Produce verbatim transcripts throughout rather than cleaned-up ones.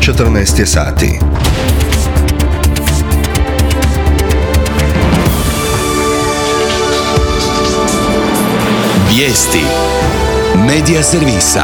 četrnaest je sati. Vijesti Medija servisa.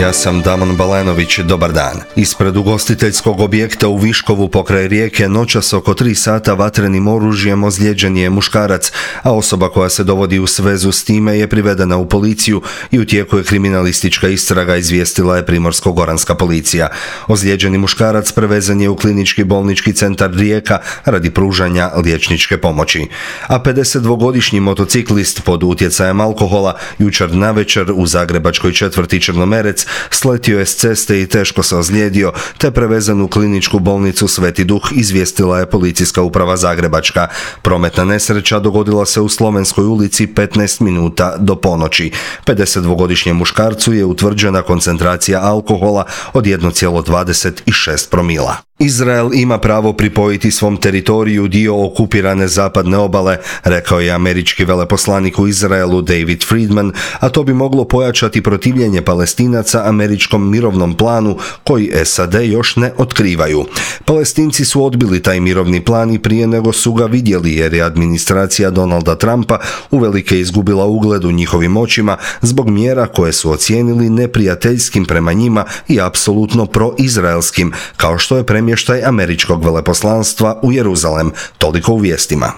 Ja sam Damon Balenović, dobar dan. Ispred ugostiteljskog objekta u Viškovu pokraj Rijeke noćas oko tri sata vatrenim oružjem ozlijeđen je muškarac, a osoba koja se dovodi u svezu s time je privedena u policiju i u tijeku je kriminalistička istraga, izvijestila je Primorsko-goranska policija. Ozlijeđeni muškarac prevezan je u klinički bolnički centar Rijeka radi pružanja liječničke pomoći. A pedesetdvogodišnji motociklist pod utjecajem alkohola jučer navečer u zagrebačkoj četvrti Črnomerec sletio je s ceste i teško se ozlijedio, te prevezan u kliničku bolnicu Sveti Duh, izvijestila je policijska uprava Zagrebačka. Prometna nesreća dogodila se u Slovenskoj ulici petnaest minuta do ponoći. pedesetdvogodišnjem muškarcu je utvrđena koncentracija alkohola od jedan zarez dvadeset šest promila. Izrael ima pravo pripojiti svom teritoriju dio okupirane zapadne obale, rekao je američki veleposlanik u Izraelu David Friedman, a to bi moglo pojačati protivljenje Palestinaca američkom mirovnom planu koji S A D još ne otkrivaju. Palestinci su odbili taj mirovni plan i prije nego su ga vidjeli, jer je administracija Donalda Trumpa uvelike izgubila ugled u njihovim očima zbog mjera koje su ocijenili neprijateljskim prema njima i apsolutno proizraelskim, kao što je premještaj američkog veleposlanstva u Jeruzalem. Toliko u vijestima.